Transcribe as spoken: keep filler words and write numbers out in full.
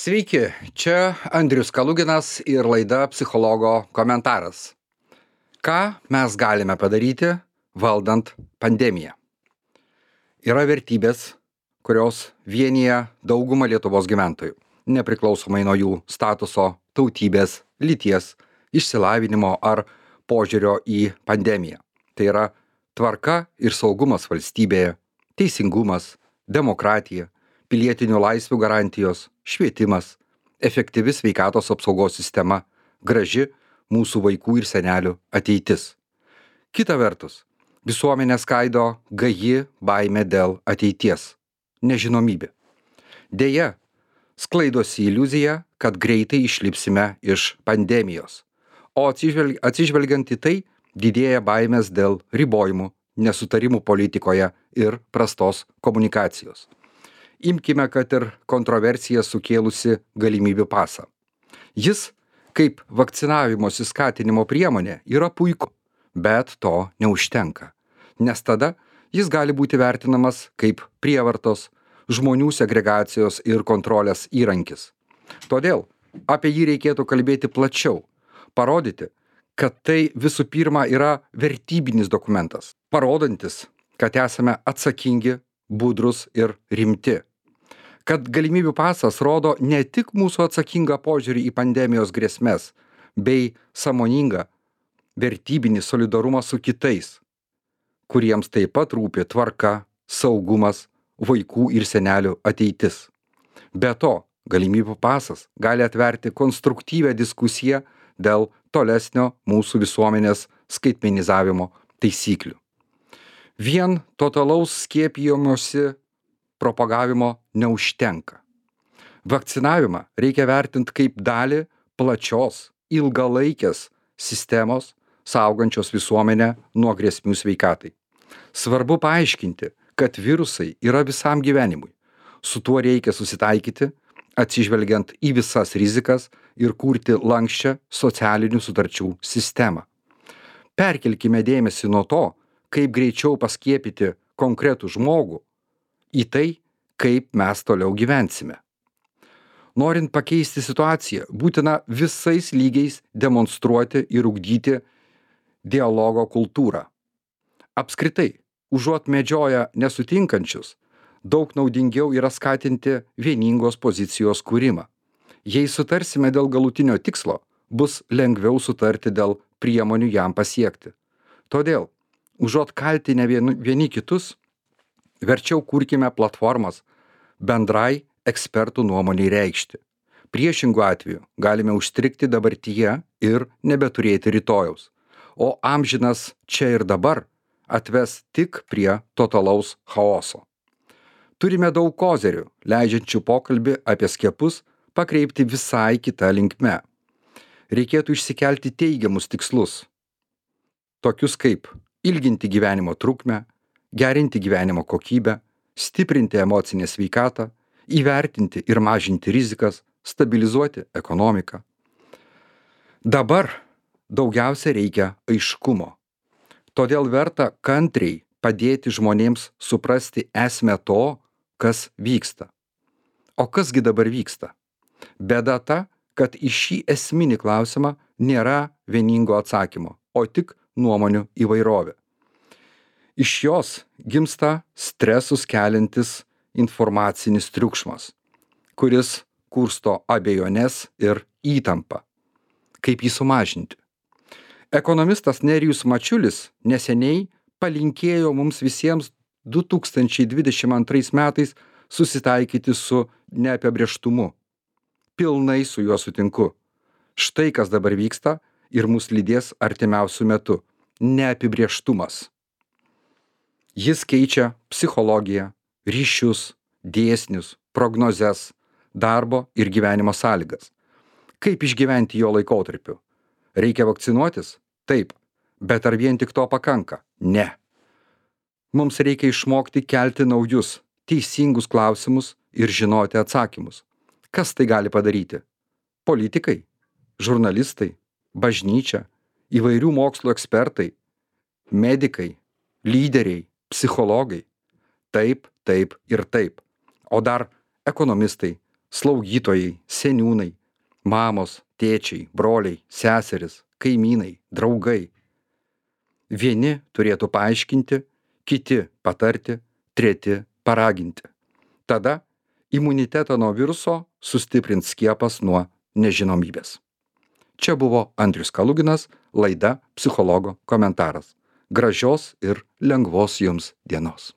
Sveiki, čia Andrius Kaluginas ir laida Psichologo komentaras. Ką mes galime padaryti, valdant pandemiją? Yra vertybės, kurios vienyje daugumą Lietuvos gyventojų, nepriklausomai nuo jų statuso, tautybės, lyties, išsilavinimo ar požiūrio į pandemiją. Tai yra tvarka ir saugumas valstybėje, teisingumas, demokratija, pilietinių laisvių garantijos, švietimas, efektyvi sveikatos apsaugos sistema, graži mūsų vaikų ir senelių ateitis. Kita vertus, visuomenę skaido gaji baimė dėl ateities, nežinomybė. Deja, sklaidosi iliuzija, kad greitai išlipsime iš pandemijos, o atsižvelg- atsižvelgiant į tai, didėja baimės dėl ribojimų, nesutarimų politikoje ir prastos komunikacijos. Imkime, kad ir kontroversiją sukėlusi galimybių pasą. Jis, kaip vakcinavimosi skatinimo priemonė, yra puiku, bet to neužtenka, nes tada jis gali būti vertinamas kaip prievartos, žmonių segregacijos ir kontrolės įrankis. Todėl apie jį reikėtų kalbėti plačiau, parodyti, kad tai visų pirma yra vertybinis dokumentas, parodantis, kad esame atsakingi, budrus ir rimti. Kad galimybių pasas rodo ne tik mūsų atsakingą požiūrį į pandemijos grėsmes, bei sąmoningą vertybinį solidarumą su kitais, kuriems taip pat rūpi tvarka, saugumas, vaikų ir senelių ateitis. Be to, galimybių pasas gali atverti konstruktyvią diskusiją dėl tolesnio mūsų visuomenės skaitmenizavimo taisyklių. Vien totalaus skiepijimosi propagavimo neužtenka. Vakcinavimą reikia vertinti kaip dalį plačios, ilgalaikės sistemos, saugančios visuomenę nuo grėsmių sveikatai. Svarbu paaiškinti, kad virusai yra visam gyvenimui. Su tuo reikia susitaikyti, atsižvelgiant į visas rizikas ir kurti lanksčią socialinių sutarčių sistemą. Perkelkime dėmesį nuo to, kaip greičiau paskiepyti konkretų žmogų, į tai, kaip mes toliau gyvensime. Norint pakeisti situaciją, būtina visais lygiais demonstruoti ir ugdyti dialogo kultūrą. Apskritai, užuot medžioję nesutinkančius, daug naudingiau yra skatinti vieningos pozicijos kūrimą. Jei sutarsime dėl galutinio tikslo, bus lengviau sutarti dėl priemonių jam pasiekti. Todėl, užuot kaltinę vieni, vieni kitus, verčiau kurkime platformas bendrai ekspertų nuomoniai reikšti. Priešingų atveju galime užstrigti dabartyje ir nebeturėti rytojaus, o amžinas čia ir dabar atves tik prie totalaus chaoso. Turime daug kozerių, leidžiančių pokalbį apie skiepus pakreipti visai kitą linkme. Reikėtų išsikelti teigiamus tikslus, tokius kaip ilginti gyvenimo trukmę, gerinti gyvenimo kokybę, stiprinti emocinę sveikatą, įvertinti ir mažinti rizikas, stabilizuoti ekonomiką. Dabar daugiausia reikia aiškumo. Todėl verta kantriai padėti žmonėms suprasti esmę to, kas vyksta. O kasgi dabar vyksta? Bėda ta, kad į šį esminį klausimą nėra vieningo atsakymo, o tik nuomonių įvairovė. Iš jos gimsta stresus keliantis informacinis triukšmas, kuris kursto abejones ir įtampą. Kaip jį sumažinti? Ekonomistas Nerijus Mačiulis neseniai palinkėjo mums visiems du tūkstančiai dvidešimt antrais metais susitaikyti su neapibrėžtumu. Pilnai su juo sutinku. Štai kas dabar vyksta ir mus lydės artimiausiu metu – neapibrėžtumas. Jis keičia psichologiją, ryšius, dėsnius, prognozes, darbo ir gyvenimo sąlygas. Kaip išgyventi jo laikotarpiu? Reikia vakcinuotis? Taip. Bet ar vien tik to pakanka? Ne. Mums reikia išmokti kelti naujus, teisingus klausimus ir žinoti atsakymus. Kas tai gali padaryti? Politikai, žurnalistai, bažnyčia, įvairių mokslo ekspertai, medikai, lyderiai, psichologai. Taip, taip ir taip. O dar ekonomistai, slaugytojai, seniūnai, mamos, tėčiai, broliai, seserys, kaimynai, draugai. Vieni turėtų paaiškinti, kiti patarti, treti paraginti. Tada imunitetą nuo viruso sustiprins skiepas nuo nežinomybės. Čia buvo Andrius Kaluginas, laida Psichologo komentaras. Gražios ir lengvos jums dienos.